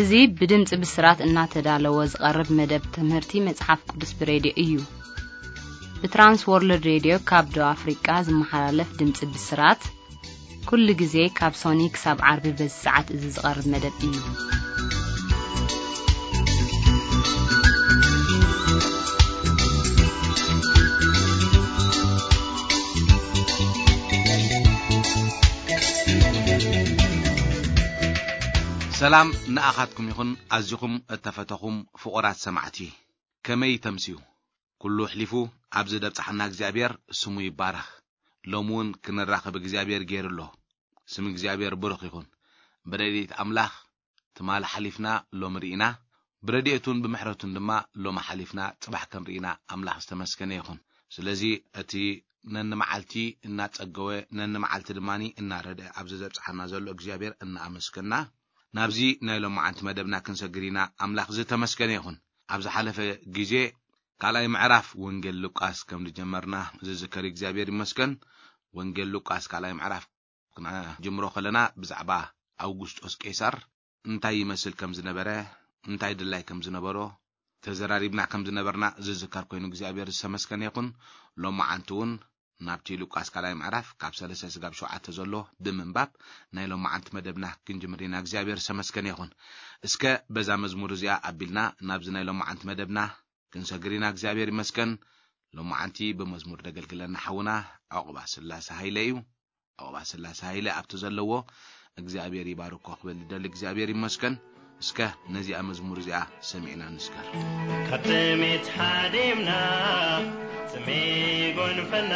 እዚ ብድምፂ ብስራት እናተዳለወ ዝቐርብ መደብ ትምህርቲ መጽሓፍ ቅዱስ ብሬድዮ እዩ። ብትራንስ ወርልድ ሬድዮ ካብ ደቡብ ኣፍሪቃ ዝመሓላለፍ ድምፂ ብስራት፣ ኩሉ ግዜ ካብ ሶኒ ክሳብ ዓርቢ በዚ ሰዓት እዚ ዝቐርብ መደብ እዩ። ሰላም ንኣኻትኩም ይኹን፣ ኣዚኹም እተፈተኹም ፍቑራት ሰማዕቲ። ከመይ ተምስዩ? ኩሉ ኣሕሊፉ ኣብዚ ደብጽሓና እግዚኣብሔር ስሙ ይባረኽ። ሎሚ እውን ክንራኸብ እግዚኣብሔር ገይሩ ኣሎ። ስም እግዚኣብሔር ብሩኽ ይኹን። ብረድኤት ኣምላኽ ትማሊ ሓሊፍና ሎሚ ርኢና፣ ብረድኤቱን ብምሕረቱን ድማ ሎሚ ሓሊፍና ጽባሕ ከም ርኢና ኣምላኽ ዝተመስገነ ይኹን። ስለዚ እቲ ነንመዓልቲ እናጸገወ፣ ነንመዓልቲ ድማ እናረድአ ኣብዚ ዘብጽሓና ዘሎ እግዚኣብሔር እናኣመስገና፣ ናብዚ ናይ ሎማዓንቲ መደብና ክንሰግር ኢና። ኣምላኽ ዝተመስገነ ይኹን። ኣብ ዝሓለፈ ግዜ ካልኣይ ምዕራፍ ወንጌል ሉቃስ ከም ዝጀመርና ዝዝከር እግዚኣብሔር ይመስገን። ወንጌል ሉቃስ ካልኣይ ምዕራፍ ክንጅምሮ ከለና ብዛዕባ ኣውጉስጦስ ቄሳር እንታይ ይመስል ከም ዝነበረ፣ እንታይ ድላይ ከም ዝነበሮ ተዘራሪብና ከም ዝነበርና ዝዝከር ኮይኑ እግዚኣብሔር ዝተመስገነ ይኹን። ሎማዓንቲ እውን ናብቲ ሉቃስ ካልኣይ ምዕራፍ ካብ ሰለስተ ስጋብ ሸውዓተ ዘሎ ብምንባብ ናይ ሎማዓንቲ መደብና ክንጅምር ኢና። እግዚኣብሔር ዝተመስገነ ይኹን። እስከ በዛ መዝሙር እዚኣ ኣቢልና ናብዚ ናይ ሎማዓንቲ መደብና ክንሰግር ኢና። እግዚኣብሔር ይመስገን። ሎማዓንቲ ብመዝሙር ደገልግለና ሓውና ዕቑባ ስላሴ ሃይለ እዩ። ዕቑባ ስላሴ ሃይለ ኣብቲ ዘለዎ እግዚኣብሔር ይባርኮ ክብል ዝደሊ እግዚኣብሔር ይመስገን። እስከ ነዚኣ መዝሙር እዚኣ ሰሚዕና ንስከር። ካብ ጥሜት ሓዲምና ጽሜ ይጎንፈና፣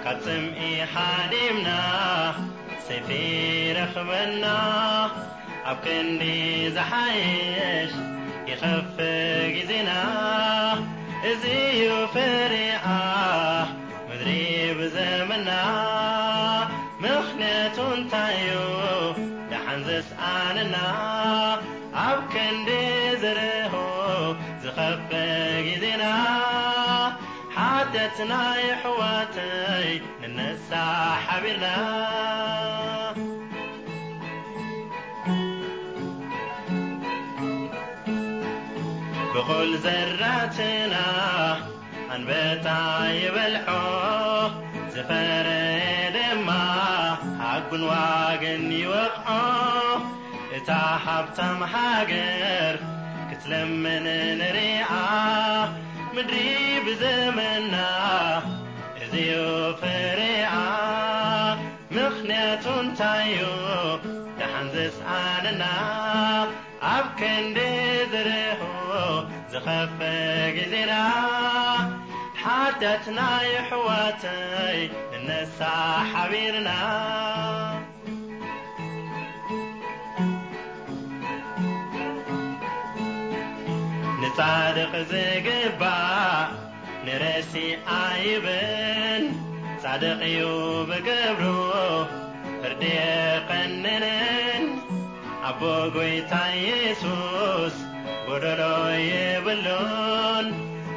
ካብ ጽምኢ ሓዲምና ሰይፊ ይረኽበና። ኣብ ክንዲ ዝሓይሽ ይኸፍ ግዜና፣ እዚ እዩ ፍሬኣ ምድሪ ብዘመና። ምኽንያቱ እንታይ እዩ ደሓን ዘስኣነና? ኣብ ክንዲ ዝርህው ዝኸፍ ግዜና፣ ሓጢኣትና የሕዋተይ ንነሳ ሓቢርና። ብቑል ዘራትና ኣንበጣ ይበልዖ፣ ዝፈረየ ድማ ሃጉን ዋግን ይወቕዖ። እታ ሃብታም ሃገር ክትለምን ንሪኣ፣ ምድሪ ብዘመና እዚዩ ፍሬኣ። ምኽንያቱ እንታይ እዩ ደሓን ዘስኣነና? ኣብ ክንዲ ዝርህው ዝኸፍ ግዜና፣ ሓጢኣትና የሕዋተይ ንነሳ ሓቢርና። ንጻድቕ ዝግባእ ንረሲ ኣይብን፣ ጻድቕ እዩ ብገብሩ ፍርዲ የቐንንን። ኣቦ ጐይታ ኢየሱስ ጐደሎ የብሉን፣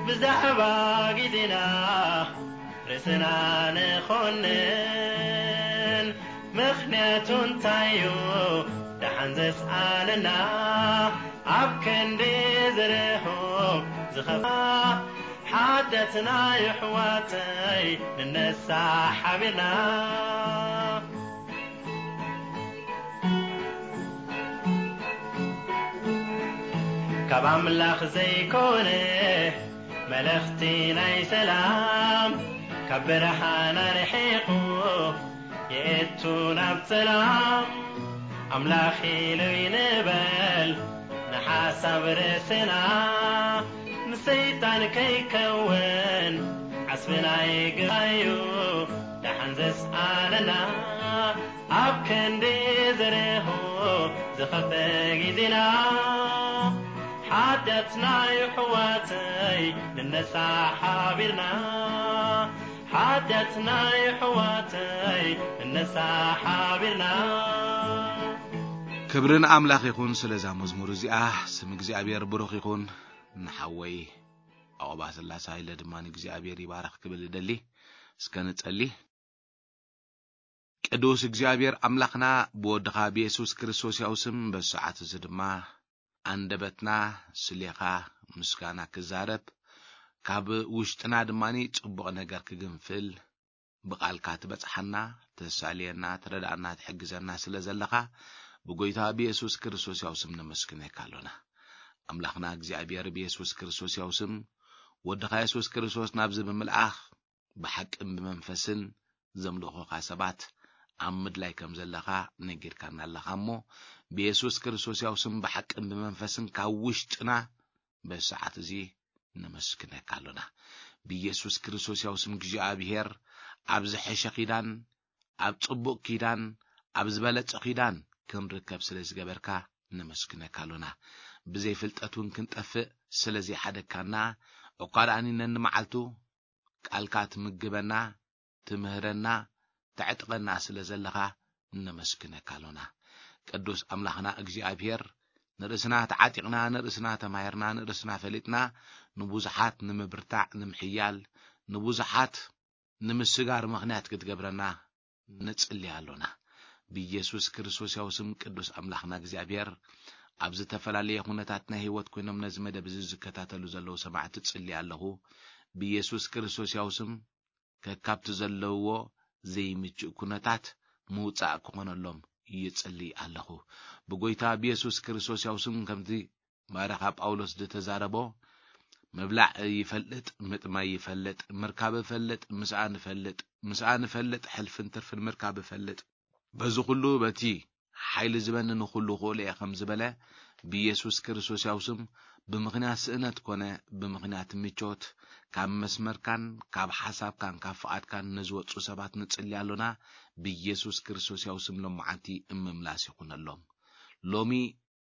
ብዛዕባ ግዜና ርእስና ንኾንን። ምኽንያቱ እንታይ እዩ ደሓን ዘስኣነና? ኣብ ክንዲ ዝርህው ዝኸፋ፣ ሓጢኣትና የሕዋተይ ንነሳ ሓቢርና። ካብ ኣምላኽ ዘይኮነ መልእኽቲ ናይ ሰላም፣ ካብ ብርሃን ኣርሒቑ የእቱ ናብ ጸላም። ኣምላኽ ኢሉ ይንበል ንሓሳብ ርእስና፣ ንሰይጣን ከይከውን ዓስብና ይግባዩ ደሓን ዘስኣነና። ኣብ ክንዲ ዝርህው ዝኸፍእ ግዜና፣ ሓጢኣትና የሕዋተይ ንነሳ ሓቢርና። ሓጢኣትና የሕዋተይ ንነሳ ሓቢርና። ክብሪ ንኣምላኽ ይኹን ስለዛ መዝሙር እዚኣ። ስም እግዚኣብሔር ብሩኽ ይኹን። ንሓወይ ዕቑባ ስላሴ ሃይለ ድማ ንእግዚኣብሔር ይባረኽ ክብል እደሊ። እስከ ንጸሊ። ቅዱስ እግዚኣብሔር ኣምላኽና ብወድኻ ብየሱስ ክርስቶስ ያው ስም በዚ ሰዓት እዚ ድማ ኣንደበትና ስሌኻ ምስጋና ክዛረብ፣ ካብ ውሽጥና ድማ ጽቡቕ ነገር ክግንፍል፣ ብቓልካ ትበጽሓና፣ ተሳልየና፣ ትረዳእና፣ ትሕግዘና ስለ ዘለኻ ብጎይታ ብየሱስ ክርስቶስ ያው ስም ነመስግነካ ኣሎና። ኣምላኽና እግዚኣብሔር ብየሱስ ክርስቶስ ያው ስም ወድኻ የሱስ ክርስቶስ ናብዚ ብምልኣኽ ብሓቅን ብመንፈስን ዘምልኹኻ ሰባት ኣብ ምድላይ ከም ዘለኻ ነጊርካና ኣለኻ እሞ፣ ብየሱስ ክርስቶስ ያው ስም ብሓቅን ብመንፈስን ካብ ውሽጥና በዚ ሰዓት እዚ ነመስግነካ ኣሎና። ብየሱስ ክርስቶስ ያው ስም እግዚኣብሔር ኣብ ዝሐሸ ኪዳን፣ ኣብ ጽቡቕ ኪዳን፣ ኣብ ዝበለጸ ኪዳን ክንርከብ ስለ ዝገበርካ ነመስግነካ ኣሎና። ብዘይ ፍልጠት እውን ክንጠፍእ ስለ ዘይሓደግካና፣ እኳ ደኣኒ ነንመዓልቱ ቃልካ ትምግበና፣ ትምህረና፣ ተዕጥቐና ስለ ዘለኻ ነመስግነካ ኣሎና። ቅዱስ ኣምላኽና እግዚኣብሔር፣ ንርእስና ተዓጢቕና፣ ንርእስና ተማሂርና፣ ንርእስና ፈሊጥና፣ ንብዙሓት ንምብርታዕ፣ ንምሕያል፣ ንብዙሓት ንምስጋር ምኽንያት ክትገብረና ንጽሊ ኣሎና። ብኢየሱስ ክርስቶስ ያው ስም ቅዱስ ኣምላኽና እግዚኣብሔር፣ ኣብ ዝተፈላለየ ኩነታት ናይ ህይወት ኮይኖም ነዚ መደብ እዚ ዝከታተሉ ዘለዉ ሰማዕቲ ጽሊ ኣለኹ። ብኢየሱስ ክርስቶስ ያው ስም ከካብቲ ዘለውዎ ዘይምችእ ኩነታት ምውጻእ ክኾነሎም ይጽሊ ኣለኹ። ብጎይታ ብየሱስ ክርስቶስ ያው ስም ከምቲ ባርኻ ጳውሎስ ዝተዛረቦ፣ ምብላዕ ይፈልጥ፣ ምጥማይ ይፈልጥ፣ ምርካብ ይፈልጥ፣ ምስኣን ይፈልጥ፣ ምስኣን ይፈልጥ፣ ሕልፍን ትርፍን ምርካብ ይፈልጥ። በዚ ኩሉ በቲ ሓይሊ ዝበኒ ንኹሉ ክእሎ እየ ከም ዝበለ፣ ብኢየሱስ ክርስቶስ ያው ስም ብምኽንያት ስእነት ኮነ ብምኽንያት ምቾት ካብ መስመርካን ካብ ሓሳብካን ካብ ፍቓድካን ንዝወጹ ሰባት ንጽሊ ኣሎና። ብኢየሱስ ክርስቶስ ያው ስም ሎመዓንቲ እምምላስ ይኹነሎም። ሎሚ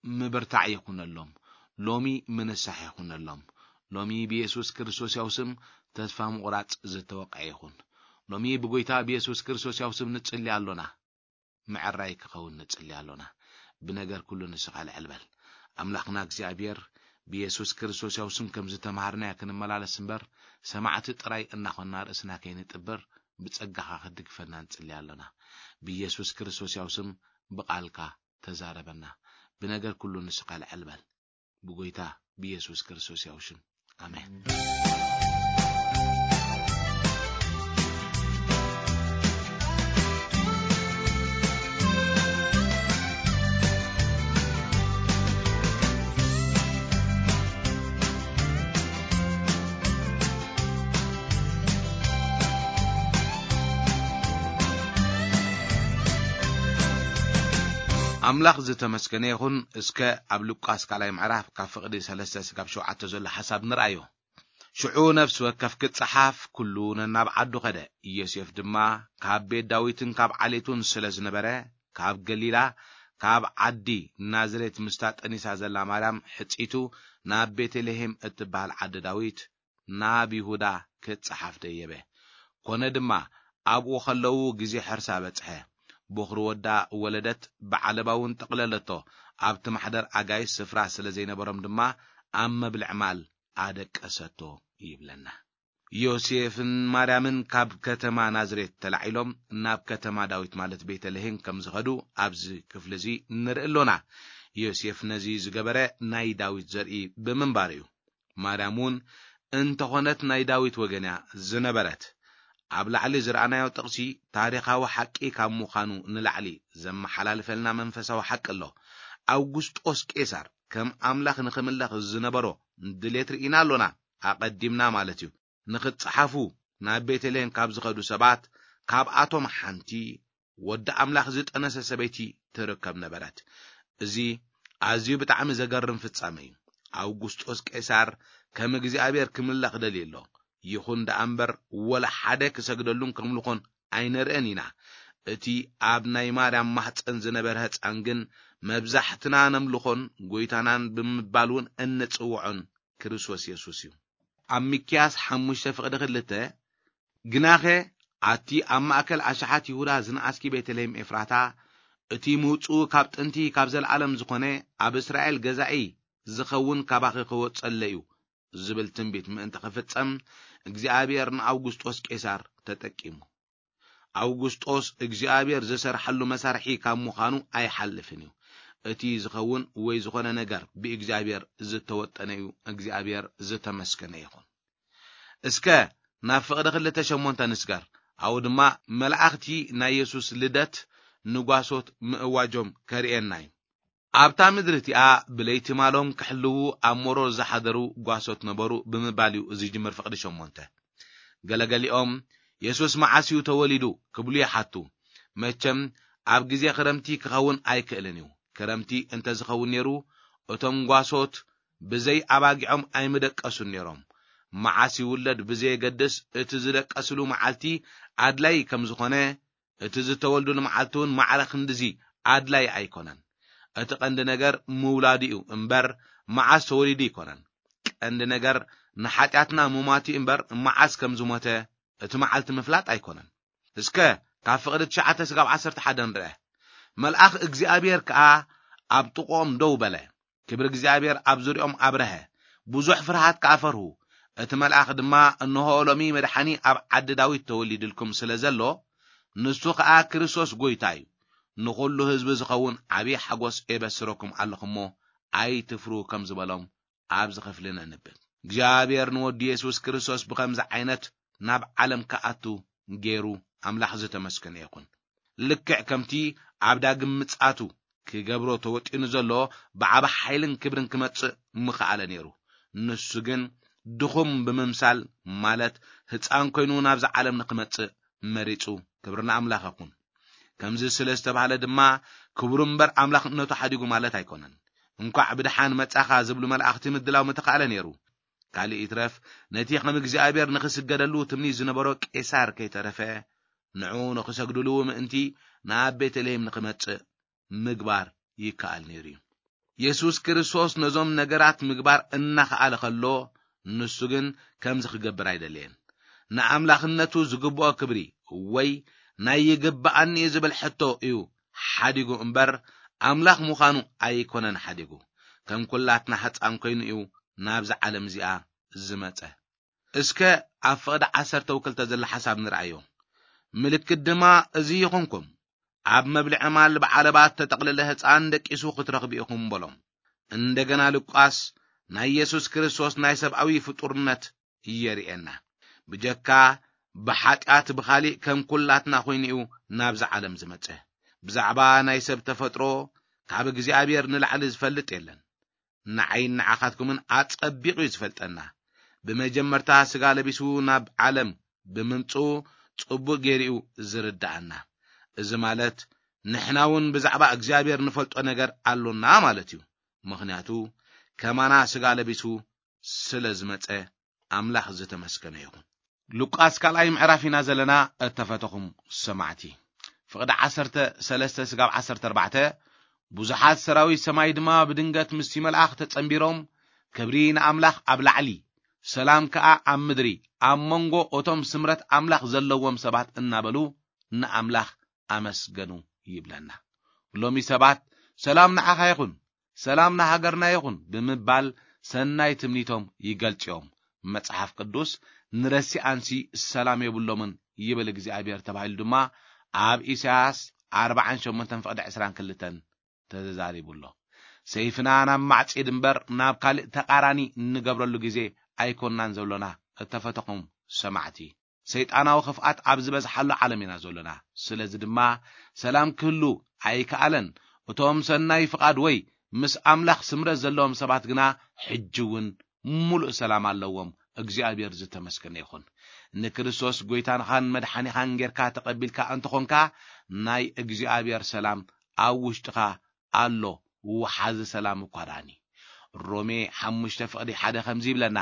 ምብርታዕ ይኹነሎም። ሎሚ ምንሳሕ ይኹነሎም። ሎሚ ብየሱስ ክርስቶስ ያው ስም ተስፋ ምቑራጽ ዝተወቅዐ ይኹን። ሎሚ ብጎይታ ብየሱስ ክርስቶስ ያው ስም ንጽሊ ኣሎና። ምዕራይ ክኸውን ንጽሊ ኣሎና። ብነገር ኩሉ ንስኻ ልዕል በል። ኣምላኽና እግዚኣብሔር ብየሱስ ክርስቶስ ያው ስም ከም ዝተምሃርናዮ ክንመላለስ እምበር፣ ሰማዕቲ ጥራይ እናኾንና ርእስና ከይንጥብር ብጸጋኻ ክትድግፈና ንጽሊ ኣሎና። ብየሱስ ክርስቶስ ያው ስም ብቓልካ ተዛረበና። ብነገር ኩሉ ንስኻ ልዕል በል። ብጎይታ ብየሱስ ክርስቶስ ያው ሽም። ኣሜን። ኣምላኽ ዝተመስገነ ይኹን። እስከ ኣብ ሉቃስ ካልኣይ ምዕራፍ ካብ ፍቕዲ ሰለስተ ስጋብ ሸውዓተ ዘሎ ሓሳብ ንርኣዮ። ሽዑ ነፍሲ ወከፍ ክጸሓፍ ኩሉ ነናብ ዓዱ ኸደ። ዮሴፍ ድማ ካብ ቤት ዳዊትን ካብ ዓሌቱን ስለ ዝነበረ፣ ካብ ገሊላ፣ ካብ ዓዲ ናዝሬት ምስታ ጠኒሳ ዘላ ማርያም ሕጺቱ ናብ ቤተልሔም እትበሃል ዓዲ ዳዊት፣ ናብ ይሁዳ ክጸሓፍ ደየበ። ኮነ ድማ ኣብኡ ኸለዉ ግዜ ሕርሳ በጽሐ። ቦኽሪ ወዳ ወለደት፣ ብዓለባ እውን ጠቕለለቶ። ኣብቲ ማሕደር ኣጋይሽ ስፍራ ስለ ዘይነበሮም ድማ ኣብ መብልዕ ማል ኣደቀሰቶ ይብለና። ዮሴፍን ማርያምን ካብ ከተማ ናዝሬት ተላዒሎም ናብ ከተማ ዳዊት ማለት ቤተልሔም ከም ዝኸዱ ኣብዚ ክፍሊ እዚ ንርኢ ኣሎና። ዮሴፍ ነዚ ዝገበረ ናይ ዳዊት ዘርኢ ብምንባር እዩ። ማርያም እውን እንተኾነት ናይ ዳዊት ወገን እያ ዝነበረት። ኣብ ላዕሊ ዝረኣናዮ ጥቕሲ ታሪኻዊ ሓቂ ካብ ምዃኑ ንላዕሊ ዘመሓላልፈልና መንፈሳዊ ሓቂ ኣሎ። ኣውጉስጦስ ቄሳር ከም ኣምላኽ ንኽምለኽ ዝነበሮ ድሌት ርኢና ኣሎና። ኣቐዲምና ማለት እዩ። ንኽጸሓፉ ናብ ቤተልሔም ካብ ዝኸዱ ሰባት፣ ካብኣቶም ሓንቲ ወዲ ኣምላኽ ዝጠነሰ ሰበይቲ ትርከብ ነበረት። እዚ ኣዝዩ ብጣዕሚ ዘገርም ፍጻመ እዩ። ኣውጉስጦስ ቄሳር ከም እግዚኣብሔር ክምለኽ ደልዩ ኣሎ። ይኹን ደኣ እምበር፣ ወላ ሓደ ክሰግደሉን ከምልኾን ኣይንርእን ኢና። እቲ ኣብ ናይ ማርያም ማሕፀን ዝነበረ ህፃን ግን መብዛሕትና ነምልኾን ጎይታናን ብምባል እውን እንጽውዖን ክርስቶስ የሱስ እዩ። ኣብ ሚክያስ ሓሙሽተ ፍቕዲ ክልተ፣ ግናኸ ኣቲ ኣብ ማእከል ኣሽሓት ይሁዳ ዝነኣስኪ ቤተልሔም ኤፍራታ፣ እቲ ምውጽኡ ካብ ጥንቲ ካብ ዘለኣለም ዝኾነ ኣብ እስራኤል ገዛኢ ዝኸውን ካባኺ ክወጸለ እዩ ዝብል ትንቢት ምእንቲ ክፍጸም እግዚኣብሔር ንኣውጉስጦስ ቄሳር ተጠቂሙ። ኣውጉስጦስ እግዚኣብሔር ዝሰርሓሉ መሳርሒ ካብ ምዃኑ ኣይሓልፍን እዩ። እቲ ዝኸውን ወይ ዝኾነ ነገር ብእግዚኣብሔር ዝተወጠነ እዩ። እግዚኣብሔር ዝተመስገነ ይኹን። እስከ ናብ ፍቕዲ ክልተ ሸሞንተ ንስገር። ኣብኡ ድማ መላእኽቲ ናይ የሱስ ልደት ንጓሶት ምእዋጆም ከርእየና እዩ። ኣብታ ምድሪ እቲኣ ብለይቲ ማሎም ክሕልዉ ኣብ መሮር ዝሓደሩ ጓሶት ነበሩ ብምባል እዩ ዝጅምር ፍቕዲ ሸሞንተ። ገለገሊኦም የሱስ መዓስ እዩ ተወሊዱ ክብሉ ይሓቱ። መቸም ኣብ ግዜ ክረምቲ ክኸውን ኣይክእልን እዩ። ክረምቲ እንተዝኸውን ነይሩ እቶም ጓሶት ብዘይ ኣባጊዖም ኣይምደቀሱን ነይሮም። መዓስ ይውለድ ብዘየገድስ እቲ ዝደቀስሉ መዓልቲ ኣድላይ ከም ዝኾነ እቲ ዝተወልዱሉ መዓልቲ እውን ማዕረ ክንድዚ ኣድላይ ኣይኮነን። እቲ ቀንዲ ነገር ምውላዱ እዩ እምበር መዓስ ተወሊዱ ኣይኮነን። ቀንዲ ነገር ንሓጢኣትና ምሟቱ እምበር መዓስ ከም ዝሞተ እቲ መዓልቲ ምፍላጥ ኣይኮነን። እስከ ካብ ፍቕዲ ትሽዓተ ስጋብ ዓሰርተ ሓደ ንርአ። መልኣኽ እግዚኣብሔር ከኣ ኣብ ጥቕኦም ደው በለ። ክብሪ እግዚኣብሔር ኣብ ዙሪኦም ኣብረሀ። ብዙሕ ፍርሃት ከኣ ፈርሁ። እቲ መልኣኽ ድማ፣ "እንሆ ሎሚ መድሓኒ ኣብ ዓዲ ዳዊት ተወሊድልኩም ስለ ዘሎ፣ ንሱ ከኣ ክርስቶስ ጎይታ እዩ። ንኹሉ ህዝቢ ዝኸውን ዓብዪ ሓጎስ ኤበስረኩም ኣለኹ እሞ ኣይትፍርሁ" ከም ዝበሎም ኣብዚ ክፍሊ ነንብብ። እግዚኣብሔር ንወዱ የሱስ ክርስቶስ ብኸምዚ ዓይነት ናብ ዓለም ክኣቱ ገይሩ ኣምላኽ ዝተመስገነ ይኹን። ልክዕ ከምቲ ኣብ ዳግም ምጽኣቱ ክገብሮ ተወጢኑ ዘሎ ብዓቢ ሓይልን ክብርን ክመጽእ ምኸኣለ ነይሩ። ንሱ ግን ድኹም ብምምሳል፣ ማለት ህጻን ኮይኑ ናብዛ ዓለም ንኽመጽእ መሪጹ። ክብሪ ንኣምላኽ ይኹን። ከምዚ ስለ ዝተባህለ ድማ ክብሩ እምበር ኣምላኽነቱ ሓዲጉ ማለት ኣይኮነን። እንኳዕ ብደሓን መጻኻ ዝብሉ መላእኽቲ ምድላው ምተኻእለ ነይሩ። ካልእ ይትረፍ፣ ነቲ ከም እግዚኣብሔር ንኽስገደሉ ትምኒት ዝነበሮ ቄሳር ከይተረፈ፣ ንዕኡ ንኽሰግድሉ ምእንቲ ናብ ቤተልሔም ንኽመጽእ ምግባር ይከኣል ነይሩ እዩ። የሱስ ክርስቶስ ነዞም ነገራት ምግባር እናኸኣለ ከሎ፣ ንሱ ግን ከምዚ ክገብር ኣይደለየን። ንኣምላኽነቱ ዝግብኦ ክብሪ ወይ ናይ ይግብኣኒ ዝብል ሕቶ እዩ ሓዲጉ እምበር፣ ኣምላኽ ምዃኑ ኣይኮነን ሓዲጉ። ከም ኩላትና ሕጻን ኮይኑ እዩ ናብዛ ዓለም እዚኣ ዝመጸ። እስከ ኣብ ፍቕዲ ዓሰርተ ወክልተ ዘሎ ሓሳብ ንርኣዮ። ምልክት ድማ እዚ ይኹንኩም፣ ኣብ መብልዒ ማል ብዓለባ እተጠቕለለ ህጻን ደቂሱ ክትረኽቡ ኢኹም በሎም። እንደገና ሉቃስ ናይ የሱስ ክርስቶስ ናይ ሰብኣዊ ፍጡርነት የርእየና። ብጀካ ብሓጢኣት ብኻሊእ ከም ኩላትና ኮይኑ እዩ ናብዛ ዓለም ዝመጸ። ብዛዕባ ናይ ሰብ ተፈጥሮ ካብ እግዚኣብሔር ንላዕሊ ዝፈልጥ የለን። ንዓይን ንዓኻትኩምን ኣጸቢቑ እዩ ዝፈልጠና። ብመጀመርታ ስጋ ለቢሱ ናብ ዓለም ብምምጽኡ ጽቡቕ ገይሩ እዩ ዝርድኣና። እዚ ማለት ንሕና እውን ብዛዕባ እግዚኣብሔር ንፈልጦ ነገር ኣሎና ማለት እዩ። ምኽንያቱ ከማና ስጋ ለቢሱ ስለ ዝመጸ ኣምላኽ ዝተመስገነ ይኹን። ሉቃስ ካልኣይ ምዕራፍ ኢና ዘለና። እተፈተኹም ሰማዕቲ፣ ፍቕዲ ዓሰርተ ሰለስተ ስጋብ ዓሰርተ ኣርባዕተ፣ ብዙሓት ሰራዊት ሰማይ ድማ ብድንገት ምስቲ መልኣኽ ተጸንቢሮም፣ ክብሪ ንኣምላኽ ኣብ ላዕሊ፣ ሰላም ከኣ ኣብ ምድሪ፣ ኣብ መንጎ እቶም ስምረት ኣምላኽ ዘለዎም ሰባት እናበሉ ንኣምላኽ ኣመስገኑ ይብለና። ሎሚ ሰባት ሰላም ንዓኻ ይኹን፣ ሰላም ንሃገርና ይኹን ብምባል ሰናይ ትምኒቶም ይገልጽ እዮም። መጽሓፍ ቅዱስ ንረሲኣንሲ ሰላም የብሎምን ይብል እግዚኣብሔር ተባሂሉ ድማ ኣብ ኢሳያስ ኣርባዓን ሸሞንተን ፍቕዲ ዕስራን ክልተን ተዛሪቡ ኣሎ። ሰይፍና ናብ ማዕጺድ እምበር ናብ ካልእ ተቓራኒ እንገብረሉ ግዜ ኣይኮንናን ዘሎና እተፈተኹም ሰማዕቲ። ሰይጣናዊ ክፍኣት ኣብ ዝበዝሓሉ ዓለም ኢና ዘሎና። ስለዚ ድማ ሰላም ክህሉ ኣይከኣለን። እቶም ሰናይ ፍቓድ ወይ ምስ ኣምላኽ ስምረት ዘለዎም ሰባት ግና ሕጂ እውን ምሉእ ሰላም ኣለዎም። እግዚኣብሔር ዝተመስገነ ይኹን። ንክርስቶስ ጎይታንኻን መድሓኒኻን ጌርካ ተቐቢልካ እንተኾንካ፣ ናይ እግዚኣብሔር ሰላም ኣብ ውሽጥኻ ኣሎ፣ ወሓዚ ሰላም እኳ ደኣኒ። ሮሜ ሓሙሽተ ፍቕዲ ሓደ ከምዚ ይብለና፣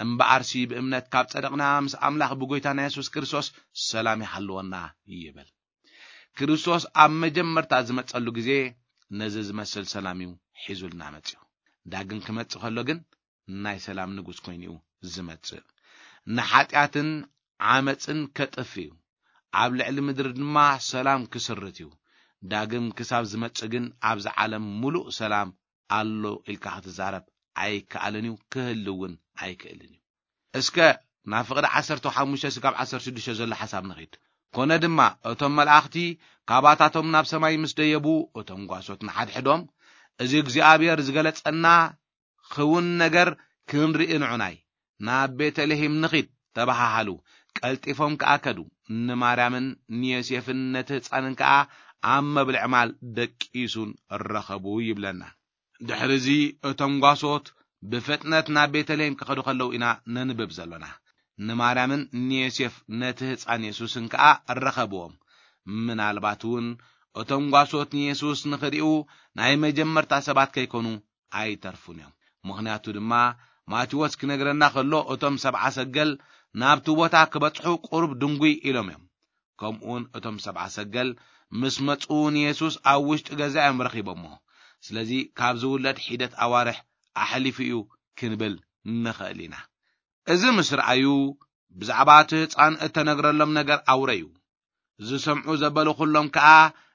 "እምበኣርሲ ብእምነት ካብ ጸደቕና ምስ ኣምላኽ ብጎይታና የሱስ ክርስቶስ ሰላም ይሃልወና" ይብል። ክርስቶስ ኣብ መጀመርታ ዝመጸሉ ግዜ ነዚ ዝመስል ሰላም እዩ ሒዙልና መጺኡ። ዳግም ክመጽእ ከሎ ግን ናይ ሰላም ንጉስ ኮይኑ እዩ ዝመጽእ። ንሓጢኣትን ዓመጽን ከጥፍ እዩ። ኣብ ልዕሊ ምድሪ ድማ ሰላም ክስርት እዩ። ዳግም ክሳብ ዝመጽእ ግን ኣብዚ ዓለም ምሉእ ሰላም ኣሎ ኢልካ ክትዛረብ ኣይከኣልን እዩ፣ ክህሉ እውን ኣይክእልን እዩ። እስከ ናብ ፍቕዲ ዓሰርተ ሓሙሽተ ስጋብ ዓሰርተ ሽዱሽተ ዘሎ ሓሳብ ንኺድ። ኮነ ድማ እቶም መላእኽቲ ካባታቶም ናብ ሰማይ ምስ ደየቡ፣ እቶም ጓሶት ንሓድሕዶም፣ "እዚ እግዚኣብሔር ዝገለጸና ክውን ነገር ክንርኢ ንዑናይ፣ ናብ ቤተልሔም ንኺድ" ተባሃሃሉ። ቀልጢፎም ከኣ ከዱ። ንማርያምን ንዮሴፍን ነቲ ህጻንን ከኣ ኣብ መብልዒ ማል ደቂሱን ረኸቡ ይብለና። ድሕሪ እዚ እቶም ጓሶት ብፍጥነት ናብ ቤተልሔም ክኸዱ ከለዉ ኢና ነንብብ ዘሎና። ንማርያምን ንዮሴፍ ነቲ ህጻን የሱስን ከኣ ረኸብዎም። ምናልባት እውን እቶም ጓሶት ንየሱስ ንኽርእዩ ናይ መጀመርታ ሰባት ከይኮኑ ኣይተርፉን እዮም። ምኽንያቱ ድማ ማቴዎስ ክነግረና ከሎ እቶም ሰብዓ ሰገል ናብቲ ቦታ ክበጽሑ ቁሩብ ድንጉይ ኢሎም እዮም። ከምኡውን እቶም ሰብዓ ሰገል ምስ መጹ ንየሱስ ኣብ ውሽጢ ገዛ እዮም ረኺቦሞ። ስለዚ ካብ ዝውለድ ሒደት ኣዋርሕ ኣሕሊፉ እዩ ክንብል ንኽእል ኢና። እዚ ምስ ረኣዩ ብዛዕባ እቲ ህጻን እተነግረሎም ነገር ኣውረዩ። ዝሰምዑ ዘበሉ ኩሎም ከኣ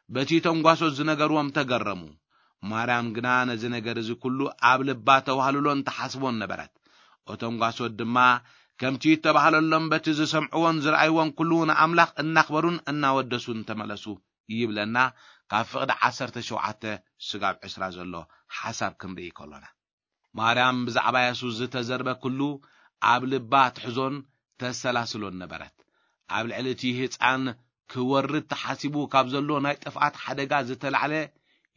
በቲ እቶም ጓሶት ዝነገርዎም ተገረሙ። ማርያም ግና ነዚ ነገር እዚ ኩሉ ኣብ ልባ ተዋህልሎን ተሓስቦን ነበረት። እቶም ጓሶት ድማ ከምቲ እተባህለሎም በቲ ዝሰምዕዎን ዝረኣይዎን ኩሉ ንኣምላኽ እናኽበሩን እናወደሱን ተመለሱ ይብለና። ካብ ፍቕዲ ዓሰርተ ሸውዓተ ስጋብ ዕስራ ዘሎ ሓሳብ ክንርኢ ከሎና፣ ማርያም ብዛዕባ የሱስ ዝተዘርበ ኩሉ ኣብ ልባ ትሕዞን ተሰላስሎን ነበረት። ኣብ ልዕሊ እቲ ህጻን ክወርድ ተሓሲቡ ካብ ዘሎ ናይ ጥፍኣት ሓደጋ ዝተላዕለ፣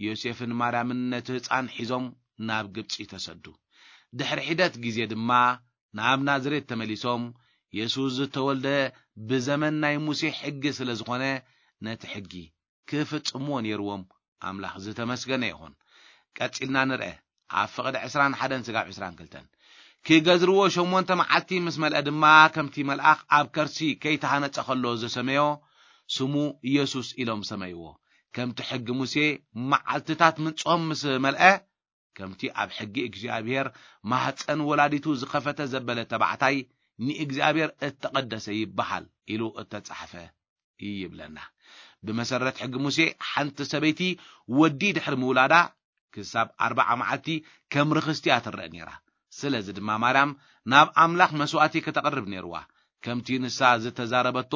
ዮሴፍን ማርያምን ነቲ ህጻን ሒዞም ናብ ግብጺ ተሰዱ። ድሕሪ ሒደት ግዜ ድማ ናብ ናዝሬት ተመሊሶም፣ የሱስ ዝተወልደ ብዘመን ናይ ሙሴ ሕጊ ስለ ዝኾነ፣ ነቲ ሕጊ ክፍጽምዎ ነይርዎም። ኣምላኽ ዝተመስገነ ይኹን። ቀጺልና ንርአ። ኣብ ፍቕዲ ዕስራን ሓደን ስጋብ ዕስራን ክልተን፣ ክገዝርዎ ሸሞንተ መዓልቲ ምስ መልአ ድማ፣ ከምቲ መልኣኽ ኣብ ከርሲ ከይተሃነጸ ኸሎ ዝሰመዮ፣ ስሙ ኢየሱስ ኢሎም ሰመይዎ። ከምቲ ሕጊ ሙሴ መዓልትታት ምንጽሆም ምስ መልአ፣ ከምቲ ኣብ ሕጊ እግዚኣብሔር ማህፀን ወላዲቱ ዝኸፈተ ዘበለ ተባዕታይ ንእግዚኣብሔር እተቐደሰ ይበሃል ኢሉ እተጻሕፈ ይብለና። ብመሰረት ሕጊ ሙሴ፣ ሓንቲ ሰበይቲ ወዲ ድሕሪ ምውላዳ ክሳብ ኣርብዓ መዓልቲ ከም ርኽስቲ እያ ትረአ ነይራ። ስለዚ ድማ ማርያም ናብ ኣምላኽ መስዋእቲ ከተቕርብ ነይርዋ። ከምቲ ንሳ ዝተዛረበቶ፣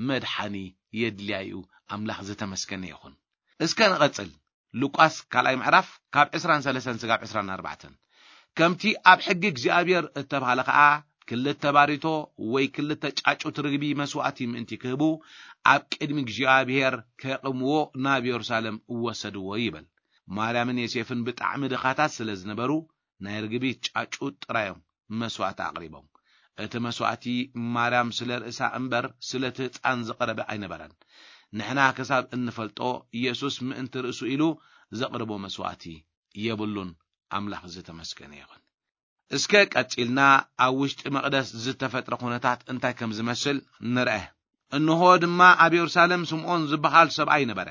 መድሓኒ የድልያ እዩ። ኣምላኽ ዝተመስገነ ይኹን። እስከ ንቐጽል። ሉቃስ ካልኣይ ምዕራፍ ካብ ዕስራን ሰለስተን ስጋብ ዕስራን ኣርባዕተን። ከምቲ ኣብ ሕጊ እግዚኣብሔር እተባህለ ኸኣ፣ ክልተ ባሪቶ ወይ ክልተ ጫጩት ርግቢ መስዋእቲ ምእንቲ ክህቡ፣ ኣብ ቅድሚ እግዚኣብሔር ከቕምዎ ናብ የሩሳሌም እወሰድዎ ይበል። ማርያምን ዮሴፍን ብጣዕሚ ድኻታት ስለ ዝነበሩ፣ ናይ ርግቢ ጫጩት ጥራዮም መስዋእቲ ኣቕሪቦም። እቲ መስዋእቲ ማርያም ስለ ርእሳ እምበር ስለ እቲ ህጻን ዝቐረበ ኣይነበረን። ንሕና ክሳብ እንፈልጦ፣ ኢየሱስ ምእንቲ ርእሱ ኢሉ ዘቕርቦ መስዋእቲ የብሉን። ኣምላኽ ዝተመስገነ ይኹን። እስከ ቀጺልና ኣብ ውሽጢ መቕደስ ዝተፈጥረ ኩነታት እንታይ ከም ዝመስል ንርአ። እንሆ ድማ ኣብ የሩሳሌም ስምዖን ዝበሃል ሰብኣይ ነበረ።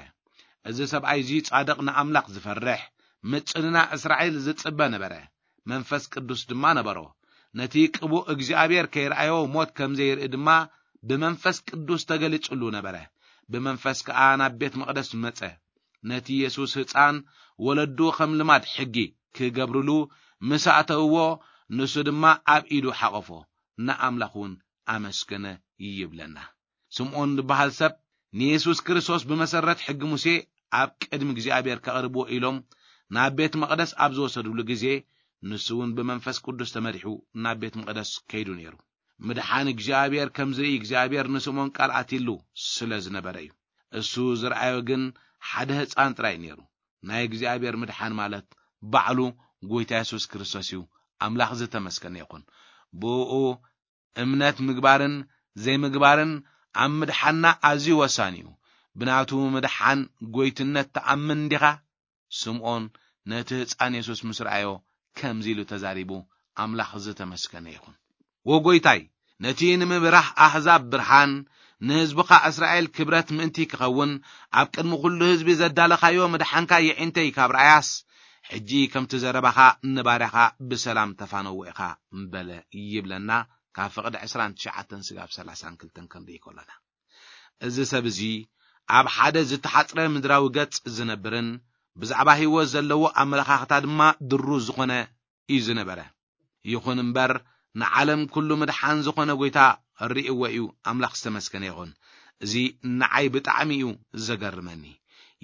እዚ ሰብኣይ እዚ ጻድቕ፣ ንኣምላኽ ዝፈርሕ፣ ምጽንና እስራኤል ዝጽበ ነበረ። መንፈስ ቅዱስ ድማ ነበሮ። ነቲ ቅቡእ እግዚኣብሔር ከይረኣዮ ሞት ከም ዘይርኢ ድማ ብመንፈስ ቅዱስ ተገሊጹሉ ነበረ። ብመንፈስ ከኣ ናብ ቤት መቕደስ መጸ። ነቲ የሱስ ህጻን ወለዱ ከም ልማድ ሕጊ ክገብርሉ ምስ ኣእተውዎ፣ ንሱ ድማ ኣብ ኢዱ ሓቖፎ፣ ንኣምላኽ እውን ኣመስገነ ይብለና። ስምዖን ዝበሃል ሰብ ንየሱስ ክርስቶስ ብመሰረት ሕጊ ሙሴ ኣብ ቅድሚ እግዚኣብሔር ከቕርብዎ ኢሎም ናብ ቤት መቕደስ ኣብ ዝወሰድሉ ግዜ፣ ንሱ እውን ብመንፈስ ቅዱስ ተመሪሑ ናብ ቤት መቕደስ ከይዱ ነይሩ። ምድሓን እግዚኣብሔር ከም ዝርኢ እግዚኣብሔር ንስምዖን ቃል ኣትይሉ ስለ ዝነበረ እዩ። እሱ ዝረኣዮ ግን ሓደ ህጻን ጥራይ ነይሩ። ናይ እግዚኣብሔር ምድሓን ማለት ባዕሉ ጎይታ የሱስ ክርስቶስ እዩ። ኣምላኽ ዝተመስገነ ይኹን። ብኡ እምነት ምግባርን ዘይምግባርን ኣብ ምድሓንና ኣዝዩ ወሳኒ እዩ። ብናቱ ምድሓን ጎይትነት ትኣምን ዲኻ? ስምዖን ነቲ ህጻን የሱስ ምስ ረኣዮ ከምዚ ኢሉ ተዛሪቡ፣ ኣምላኽ ዝተመስገነ ይኹን። ወጎይታይ፣ ነቲ ንምብራህ ኣህዛብ ብርሃን፣ ንህዝብኻ እስራኤል ክብረት ምእንቲ ክኸውን፣ ኣብ ቅድሚ ኩሉ ህዝቢ ዘዳለኻዮ ምድሓንካ የዒንተይ ካብ ረኣያስ፣ ሕጂ ከምቲ ዘረባኻ ንባርያኻ ብሰላም ተፋነዎ ኢኻ፣ በለ ይብለና። ካብ ፍቕዲ ዕስራን ትሽዓተን ስጋብ ሰላሳን ክልተን ክንርኢ ከሎና፣ እዚ ሰብ እዚ ኣብ ሓደ ዝተሓጽረ ምድራዊ ገጽ ዝነብርን ብዛዕባ ህይወት ዘለዎ ኣመለኻኽታ ድማ ድሩዝ ዝኾነ እዩ ዝነበረ። ይኹን እምበር፣ ንዓለም ኩሉ ምድሓን ዝኾነ ጎይታ ርእይዎ እዩ። ኣምላኽ ዝተመስገነ ይኹን። እዚ ንዓይ ብጣዕሚ እዩ ዘገርመኒ።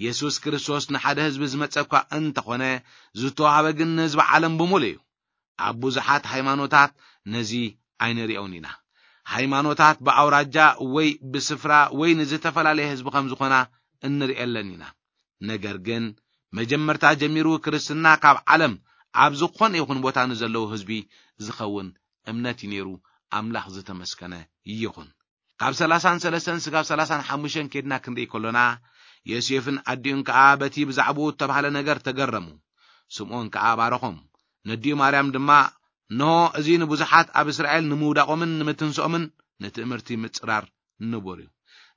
የሱስ ክርስቶስ ንሓደ ህዝቢ ዝመጸ እኳ እንተኾነ፣ ዝተዋህበ ግን ንህዝቢ ዓለም ብምሉእ እዩ። ኣብ ብዙሓት ሃይማኖታት ነዚ ኣይንሪኦን ኢና። ሃይማኖታት ብኣውራጃ ወይ ብስፍራ ወይ ንዝተፈላለየ ህዝቢ ከም ዝኾና እንሪኤለን ኢና። ነገር ግን መጀመርታ ጀሚሩ ክርስትና ካብ ዓለም ኣብ ዝኾነ ይኹን ቦታ ንዘለዉ ህዝቢ ዝኸውን እምነት እዩ ነይሩ። ኣምላኽ ዝተመስገነ ይኹን። ካብ ሰላሳን ሰለስተን ስጋብ ሰላሳን ሓሙሽተን ኬድና ክንርኢ ከሎና፣ ዮሴፍን ኣዲኡን ከኣ በቲ ብዛዕባኡ እተባህለ ነገር ተገረሙ። ስምዖን ከኣ ባረኾም። ነዲኡ ማርያም ድማ፣ እንሆ፣ እዚ ንብዙሓት ኣብ እስራኤል ንምውዳቖምን ንምትንስኦምን ንትእምርቲ ምጽራር ንቡር እዩ።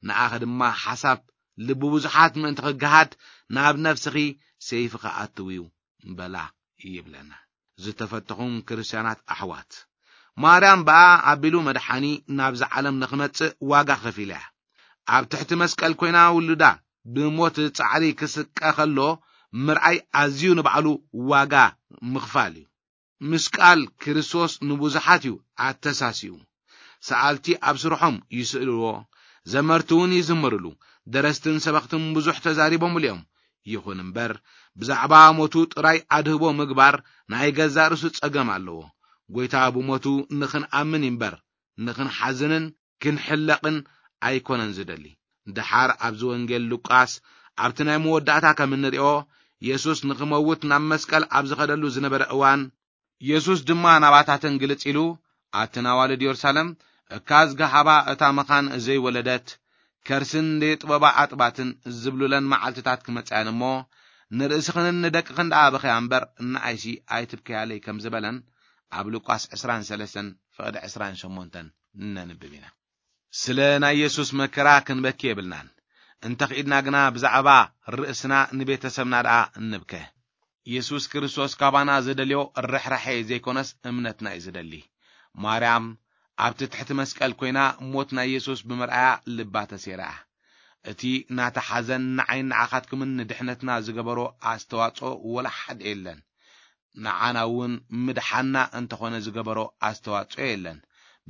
ንኣኸ ድማ ሓሳብ ልቢ ብዙሓት ምእንቲ ክገሃድ ናብ ነፍስኺ ሰይፍኻ ኣትው እዩ በላ ይብለና። ዝተፈተኹም ክርስትያናት ኣሕዋት፣ ማርያም ብኣ ኣቢሉ መድሓኒ ናብዛ ዓለም ንኽመጽእ ዋጋ ከፊላ እያ። ኣብ ትሕቲ መስቀል ኮይና ውሉዳ ብሞት ጻዕሪ ክስቀ ከሎ ምርኣይ ኣዝዩ ንባዕሉ ዋጋ ምኽፋል እዩ። ምስቃል ክርስቶስ ንብዙሓት እዩ ኣተሳሲኡ። ሰኣልቲ ኣብ ስርሖም ይስእልዎ፣ ዘመርቲ እውን ይዝምርሉ፣ ደረስትን ሰበኽትን ብዙሕ ተዛሪቦምሉ እዮም። ይኹን እምበር፣ ብዛዕባ ሞቱ ጥራይ ኣድህቦ ምግባር ናይ ገዛእ ርእሱ ጸገም ኣለዎ። ጐይታ ብሞቱ ንኽንኣምን እምበር፣ ንኽንሓዝንን ክንሕለቕን ኣይኮነን ዝደሊ። ደሓር ኣብዚ ወንጌል ሉቃስ፣ ኣብቲ ናይ መወዳእታ ከም እንርእዮ፣ የሱስ ንኽመውት ናብ መስቀል ኣብ ዝኸደሉ ዝነበረ እዋን፣ የሱስ ድማ ናባታተን ግልጽ ኢሉ፣ ኣትን ኣዋልድ የሩሳሌም፣ እካ ዝገሃባ እታ መኻን ዘይወለደት፣ ከርስን ዘይጥበባ ኣጥባትን ዝብሉለን መዓልትታት ክመጻ እየን እሞ፣ ንርእስኽንን ንደቅኽን ደኣ ብኸያ እምበር፣ ንዓይሲ ኣይትብከያለይ ከም ዝበለን፣ ኣብ ሉቃስ ዕስራን ሰለስተን ፍቕዲ ዕስራን ሸሞንተን ነንብብ ኢና። ስለ ናይ የሱስ መከራ ክንበኪ የብልናን። እንተ ኽኢድና ግና ብዛዕባ ርእስና ንቤተሰብና ደኣ እንብከ። የሱስ ክርስቶስ ካባና ዝደልዮ ርሕራሐ ዘይኮነስ እምነትና እዩ ዝደሊ። ማርያም ኣብቲ ትሕቲ መስቀል ኮይና ሞት ናይ የሱስ ብምርኣያ ልባ ተሴራ። እቲ ናታ ሓዘን ንዓይን ንዓኻትኩምን ንድሕነትና ዝገበሮ ኣስተዋጽኦ ወላ ሓደ የለን። ንዓና እውን ምድሓና እንተኾነ ዝገበሮ ኣስተዋጽኦ የለን።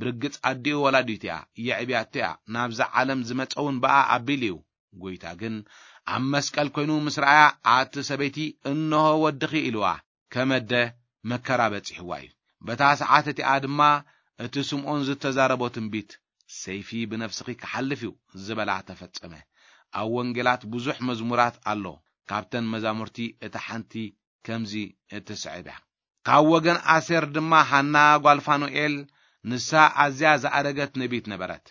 ብርግጽ ኣዲኡ ወላዲቱ እያ፣ የዕብያቶ እያ። ናብዛ ዓለም ዝመጸ እውን ብኣ ኣቢሉ እዩ። ጐይታ ግን ኣብ መስቀል ኮይኑ ምስ ረኣያ፣ ኣቲ ሰበይቲ፣ እንሆ ወድኺ ኢልዋ። ከመደ መከራ በጺሕዋ እዩ። በታ ሰዓት እቲኣ ድማ እቲ ስምዖን ዝተዛረቦ ትንቢት፣ ሰይፊ ብነፍስኺ ክሓልፍ እዩ ዝበላ ተፈጸመ። ኣብ ወንጌላት ብዙሕ መዝሙራት ኣሎ። ካብተን መዛሙርቲ እታ ሓንቲ ከምዚ እትስዕብ እያ። ካብ ወገን ኣሴር ድማ ሃና ጓል ፋኑኤል፣ ንሳ ኣዝያ ዝኣረገት ነቢት ነበረት።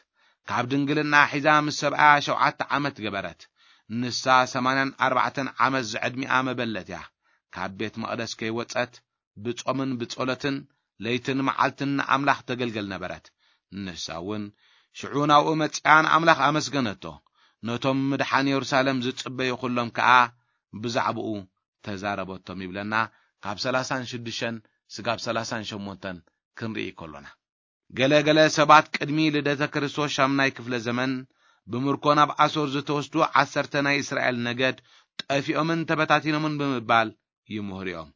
ካብ ድንግልና ሒዛ ምስ ሰብኣያ ሸውዓተ ዓመት ገበረት። ንሳ ሰማንያን ኣርባዕተን ዓመት ዝዕድሚኣ መበለት እያ። ካብ ቤት መቕደስ ከይወጸት ብጾምን ብጸሎትን ለይትን መዓልትን ንኣምላኽ ተገልገል ነበረት። ንሳ እውን ሽዑ ናብኡ መጺኣ ንኣምላኽ ኣመስገነቶ። ነቶም ምድሓን የሩሳሌም ዝጽበዩ ኹሎም ከኣ ብዛዕባኡ ተዛረበቶም ይብለና፣ ካብ ሰላሳን ሽዱሽተን ስጋብ ሰላሳን ሸሞንተን ክንርኢ ከሎና። ገለ ገለ ሰባት ቅድሚ ልደተ ክርስቶስ ሻምናይ ክፍለ ዘመን ብምርኮ ናብ ኣሶር ዝተወስዱ ዓሰርተ ናይ እስራኤል ነገድ ጠፊኦምን ተበታቲኖምን ብምባል ይምህሩ እዮም።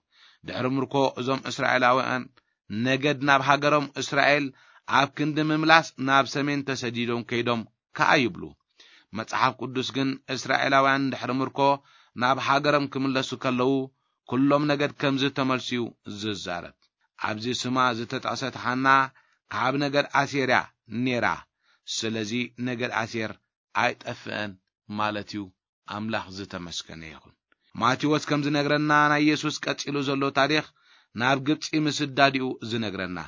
ድሕሪ ምርኮ እዞም እስራኤላውያን ነገድ ናብ ሃገሮም እስራኤል ኣብ ክንዲ ምምላስ ናብ ሰሜን ተሰዲዶም ከይዶም ከኣ ይብሉ። መጽሓፍ ቅዱስ ግን እስራኤላውያን ድሕሪ ምርኮ ናብ ሃገሮም ክምለሱ ከለዉ ኩሎም ነገድ ከም ዝተመልሱ እዩ ዝዛረብ። ኣብዚ ስማ ዝተጠቕሰት ሃና ካብ ነገድ ኣሴር እያ ነይራ። ስለዚ ነገድ ኣሴር ኣይጠፍአን ማለት እዩ። ኣምላኽ ዝተመስገነ ይኹን። ማቴዎስ ከም ዝነግረና ናይ የሱስ ቀጺሉ ዘሎ ታሪኽ ናብ ግብጺ ምስዳዲኡ ዝነግረና።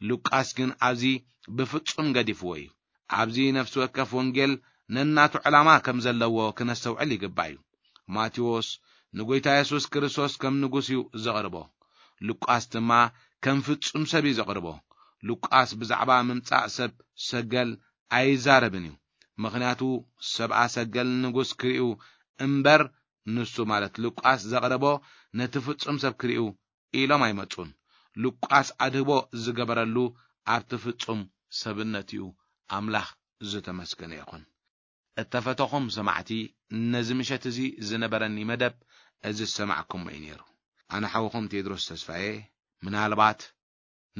ሉቃስ ግን ኣብዚ ብፍጹም ገዲፍዎ እዩ። ኣብዚ ነፍሲ ወከፍ ወንጌል ነናቱ ዕላማ ከም ዘለዎ ክነስተውዕል ይግባእ እዩ። ማቴዎስ ንጎይታ የሱስ ክርስቶስ ከም ንጉስ እዩ ዘቕርቦ። ሉቃስ ድማ ከም ፍጹም ሰብ እዩ ዘቕርቦ። ሉቃስ ብዛዕባ ምምጻእ ሰብ ሰገል ኣይዛረብን እዩ። ምኽንያቱ ሰብኣ ሰገል ንጉስ ክርእዩ እምበር፣ ንሱ ማለት ሉቃስ ዘቕረቦ ነቲ ፍጹም ሰብ ክርእዩ ኢሎም ኣይመጹን። ሉቃስ ኣድህቦ ዝገበረሉ ኣብቲ ፍጹም ሰብነት እዩ። ኣምላኽ ዝተመስገነ ይኹን። እተፈተኹም ሰማዕቲ፣ ነዚ ምሸት እዚ ዝነበረኒ መደብ እዚ ዝሰማዕኩሞ እዩ ነይሩ። ኣነ ሓውኹም ቴድሮስ ተስፋዬ። ምናልባት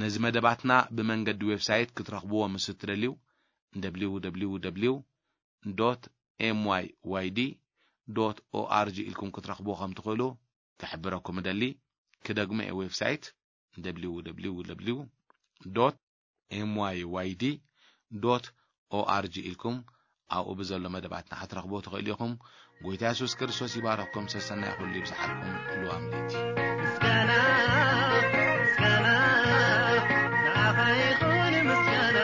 ነዚ መደባትና ብመንገዲ ዌብሳይት ክትረኽብዎ ምስ እትደልዩ፣ ደብሊው ደብሊው ደብሊው dot M Y Y D dot O R G ኢልኩም ክትረኽብዎ ከም ትኽእሉ ክሕብረኩም እደሊ። ክደግሞ እየ፣ ዌብሳይት ደብሊው ደብሊው ደብሊው ዶት ኤም ዋይ ዋይ ዲ ዶት ኦ ኣር ጂ ኢልኩም ኣብኡ ብዘሎ መደባትና ክትረኽብዎ ትኽእሉ ኢኹም። ጎይታ የሱስ ክርስቶስ ይባረኽኩም። ሰሰናይ ኩሉ ይብዝሓልኩም። ልዋም ለይቲ። ምስጋና፣ ምስጋና፣ ንዓኻ ይኹን ምስጋና፣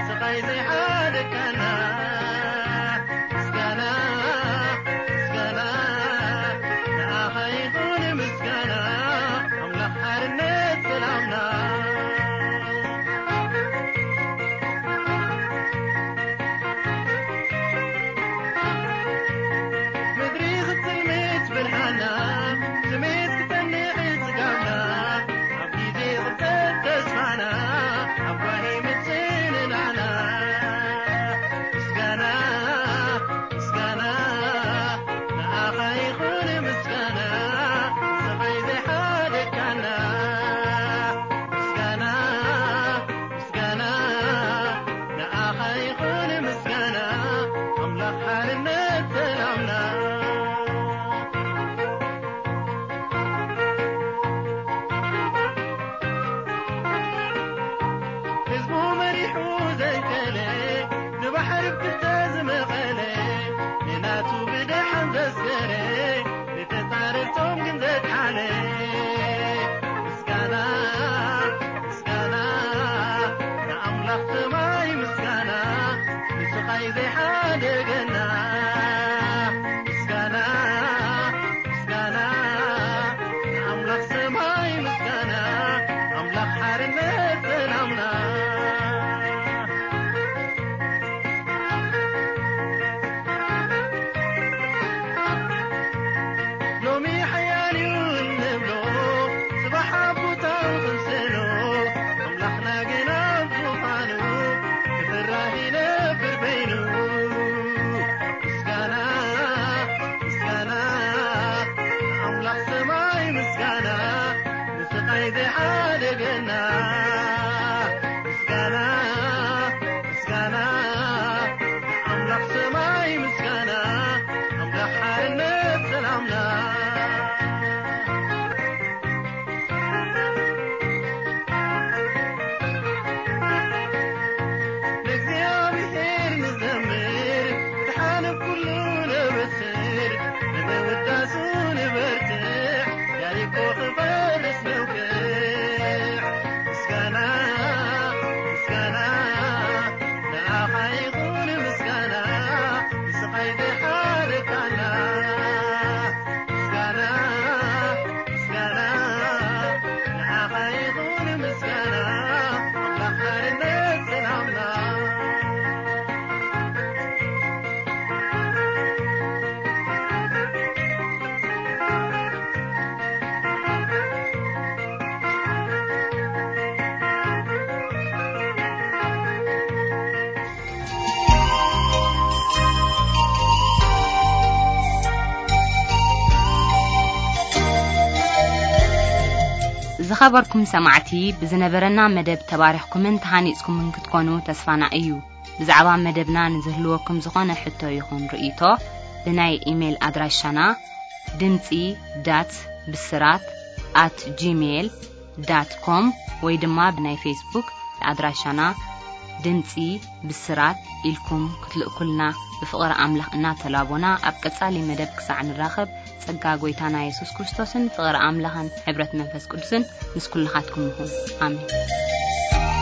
ስቓይ ዘይሓደካና። ምስጋና፣ ምስጋና፣ ንዓኻ ይኹን ምስጋና፣ ኣምላኽ ሓርነት ሰላምና። ምድሪ ክትጽልምት ብርሃና፣ ስሜት ክጸንዕ ጽጋብና፣ ኣብ ግዜ ቅብጸት ተስፋና፣ ኣብ ጓሂ ምጽንናዕና። ምስጋና፣ ምስጋና፣ ንዓኻ ይኹን ምስጋና፣ ስቓይ ዘይሓደካና። ምስጋና፣ ምስጋና፣ ንዓኻ ይኹን ምስጋና፣ ኣምላኽ ሓርነት ሰላምና። ህዝቡ መሪሑ ዘንቀለ፣ ንባሕሪ ብክልተ ዝመቐለ፣ ንናቱ ብደሓን ዘስገረ፣ ንተጻረርቶም ግን ዘድሓነ። ምስጋና፣ ምስጋና፣ ንኣምላኽ ሰማይ ምስጋና፣ ንስቓይ ዘይሓደገና። ምስጋና፣ ምስጋና፣ ንኣምላኽ ሰማይ ምስጋና፣ ኣምላኽ ሓርነት ሰላምና። ሎሚ ሓያል እዩ እንብሎ፣ ጽባሕ ኣብ ቦታኡ ክንስእኖ፣ ኣምላኽና ግን ኣብ ዙፋኑ፣ ክፍራህ ይነብር በይኑ። ምስጋና፣ ምስጋና፣ ንኣምላኽ ሰማይ ምስጋና፣ ንስቓይ ዘይሓደገና። ምስጋና፣ ምስጋና፣ ንኣምላኽ ሰማይ ምስጋና፣ ኣምላኽ ሓርነት ሰላምና። ንእግዚኣብሔር ንዘምር፣ ብድሓን ኩሉ ነበስር፣ ንምውዳሱ ንበርትዕ፣ ያሪኮ ክፈርስ ነውግዕ። ምስጋና፣ ምስጋና፣ ንኣኻ ይኹን ምስጋና፣ ንስቓይ ዘይሓረካና። ምስጋና፣ ምስጋና፣ ንኣኻ ይኹን ምስጋና፣ ኣምላኽ ሓርነት ሰላምና። ዝኸበርኩም ሰማዕቲ፣ ብዝነበረና መደብ ተባሪኽኩምን ተሃኒጽኩምን ክትኮኑ ተስፋና እዩ። ብዛዕባ መደብና ንዝህልወኩም ዝኾነ ሕቶ ይኹን ርእይቶ፣ ብናይ ኢሜይል ኣድራሻና ድምጺ ዳት ብስራት ኣት ጂሜይል ዳት ኮም ወይ ድማ ብናይ ፌስቡክ ኣድራሻና ድምጺ ብስራት ኢልኩም ክትልእኩልና ብፍቕሪ ኣምላኽ እናተላቦና፣ ኣብ ቀጻሊ መደብ ክሳዕ ንራኸብ፣ ጸጋ ጎይታና የሱስ ክርስቶስን ፍቕሪ ኣምላኽን ሕብረት መንፈስ ቅዱስን ምስ ኩልኻትኩም ይኹን። ኣሜን።